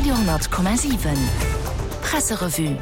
Radio,7 Presserevue.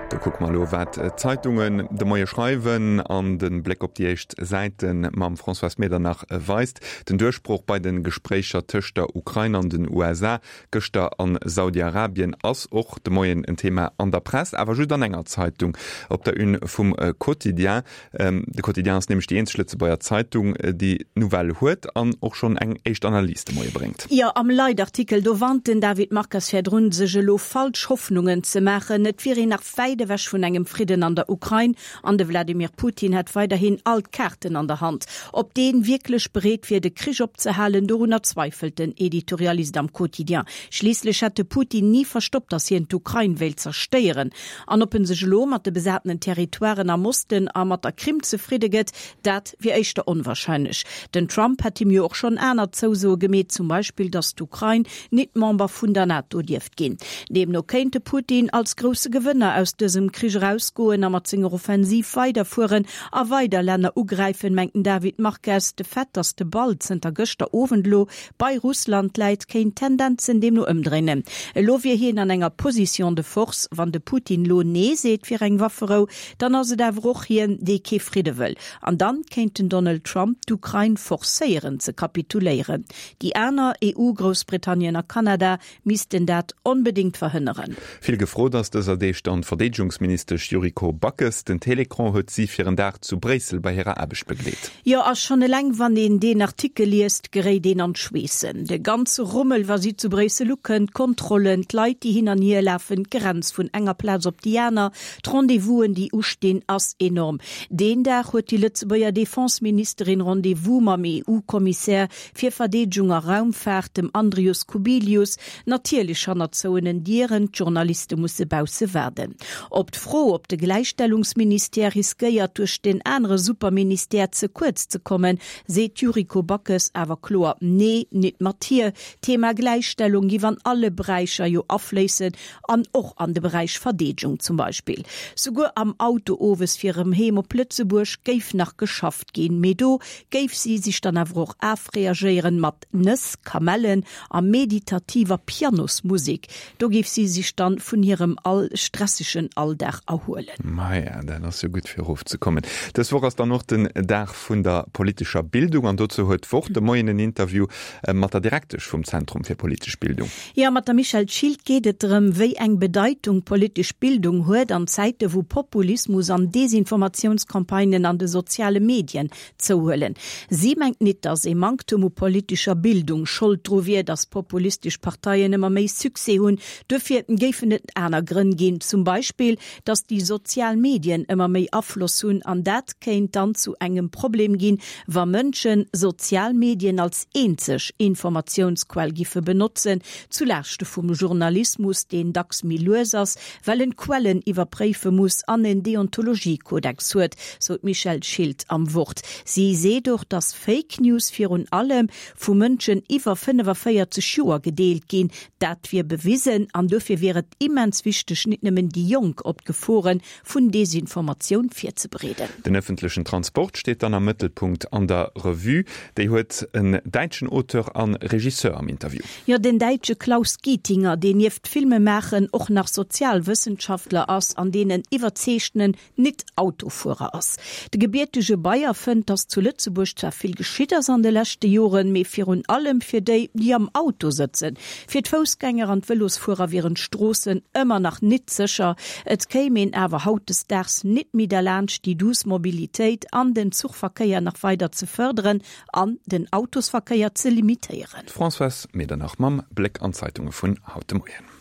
Do kucke mer elo, wat d'Zeitungen de Moie schreiwen an de Bléck op déi éischt Säite mam Françoise Medernach weist. Den Duerchbroch bei de Gespréicher tëscht der Ukrain an den USA gëschter a Saudi-Arabien ass och de Moien en Thema an der Press, awer just an enger Zeitung, op der Une vum Quotidien. De Quotidien ass nämlech déi eenzeg Lëtzebuerger Zeitung, déi d'Nouvelle huet an och schonn eng éischt Analys de Moie bréngt. Jo, am Leitartikel do warnt den David Marques virdrun, sech elo falsch Hoffnungen ze maachen. Et wier een nach wäit ewech vun engem Fridden an der Ukrain an de Wladimir Putin hätt weiderhin all d'Kaarten an der Hand. Ob dee wierklech bereet wier, de Krich opzehalen, dorunner zweifelt den Editorialist am Quotidien. Schliisslech hätt de Putin ni verstoppt, datt hien d'Ukrain wéilt zerstéieren. An ob en sech elo mat de besatenen Territoiren am Osten a mat der Krim zefridde gëtt, dat wier éischter onwahrscheinlech. Den Trump hätt him jo och schonn aner Zousoe gemeet, zum Beispill, datt d'Ukrain nit Member vun der NATO dierft ginn. Deemno kéint de Putin als grousse Gewënner aus dësem Krich erausgoen a mat senger Offensiv weiderfueren a weider Länner ugräifen, mengt den David Marques. De Fait, datt de Ball zënter gëschter Owend elo Bei Russland läit, kéint d'Tendenzen deemno ëmdréinen. Elo wier hien an enger Position de force. Wann de Putin lo Nee seet fir eng Wafferou, dann ass et awer och hien, dee kee Fridde wëll. An dann kéint den Donald Trump d'Ukrain forcéieren ze kapituléieren. Déi aner EU, Groussbritannien a Kanada, missten dat onbedéngt verhënneren. Vill gefrot ass dëser Deeg dann d'Verdeedegungsministesch Yuriko Backes. Den Télécran huet si fir en Dag zu Bréissel bei hirer Aarbecht begleet. Jo, a schonn eleng wann een deen Artikel liest, geréit een an d'Schweessen. De ganze Rummel, wa si zu Bréissel ukënnt, d'Kontrollen, d'Leit, déi hin an hier lafen, d'Grenz vun enger Plaz op déi aner, d'Rendez-vousen, déi ustinn, ass enorm. Deen Dag huet déi Lëtzebuerger Defense-Ministerin Rendez-vous mam EU-Kommissär fir Verdeedegung a Raumfaart, dem Andrius Kubilius, natierlech hannert zouenen Dieren, d'Journaliste musse bausse waarden. Op d'Fro, ob de Gläichstellungsministère riskéiert, duerch deen anere Superministère ze kuerz ze kommen, seet d'Yuriko Backes awer kloer, Nee, nit mat hir. D'Thema Gläichstellung giff an alle Beräicher jo afléissen an och an de Beräich Verdeedegung zum Beispill. Souguer am Auto owes fir erëm heem op Lëtzebuerg géif nach geschafft ginn, mee do géif si sech dann awer och afreagéieren mat Nëss, Kamellen a meditativer Pianosmusek. Do géif si sech dann vun hirem all stressegen Alldag erhuelen. Maja, dat ass jo gutt fir erofzekommen. Dës Woch ass dann och den Dag vun der politescher Bildung an dozou huet d'Wort de Moien en Interview mat der Direktesch vum Zentrum fir politesch Bildung. Jo, mat der Michèle Schilt geet et drëm, wéi eng Bedeitung politesch Bildung huet an Zäite wou Populismus an Desinformatiounscampagnen an de soziale Medien zouhuelen. Si mengt nit, datt ee Manktum u politescher Bildung Schold dru wier, datt populistesch Parteien ëmmer méi Succès hunn. Duerfir géifen et aner Grënn ginn, zum Beispill, datt déi sozial Medien ëmmer méi Afloss hunn an dat kéint dann zu engem Problem ginn, wa Mënsche sozial Medien als eenzeg Informatiounsquell giffe benotzen, zu Laaschte vum Journalismus, deen dacks méi lues ass, well en d'Quellen iwwerpréife muss an en Deontologiekodex huet, sou d'Michèle Schilt am Wort. Si seet och, datt Fake News virun allem vu Mënschen iwwer 45 Joer gedeelt ginn. Dat wier bewisen an dofir wier et immens wichteg, nit nëmmen déi Jonk op d'Gefore vun Desinformatioun virzebereeden. Den ëffentlechen Transport steet dann am Mëttelpunkt an der Revue. Déi huet en däitschen Auteur a Regisseur am Interview. Jo, den däitsche Klaus Gietinger, deen nieft Filmemaachen och nach Sozialwëssenschaftler ass an deen en iwwerzeegtenen Nit-Autofuerer ass. De gebiertege Bayer fënnt, datt zu Lëtzebuerg zwar vill geschitt ass an de leschte Joren, mee virun allem fir déi, déi am Auto sëtzen. Fir d'Foussgänger an d'Vëlosfuerer wieren d'Stroossen ëmmer nach nit sécher. Et kéim een awer hautdesdaags nit méi derlaanscht, déi duuss Mobilitéit an den Zuchverkéier nach weider ze fërderen an den Autosverkéier ze limitéieren. D'Françoise Medernach mam Bléck an d'Zeitunge vun haut de Moien.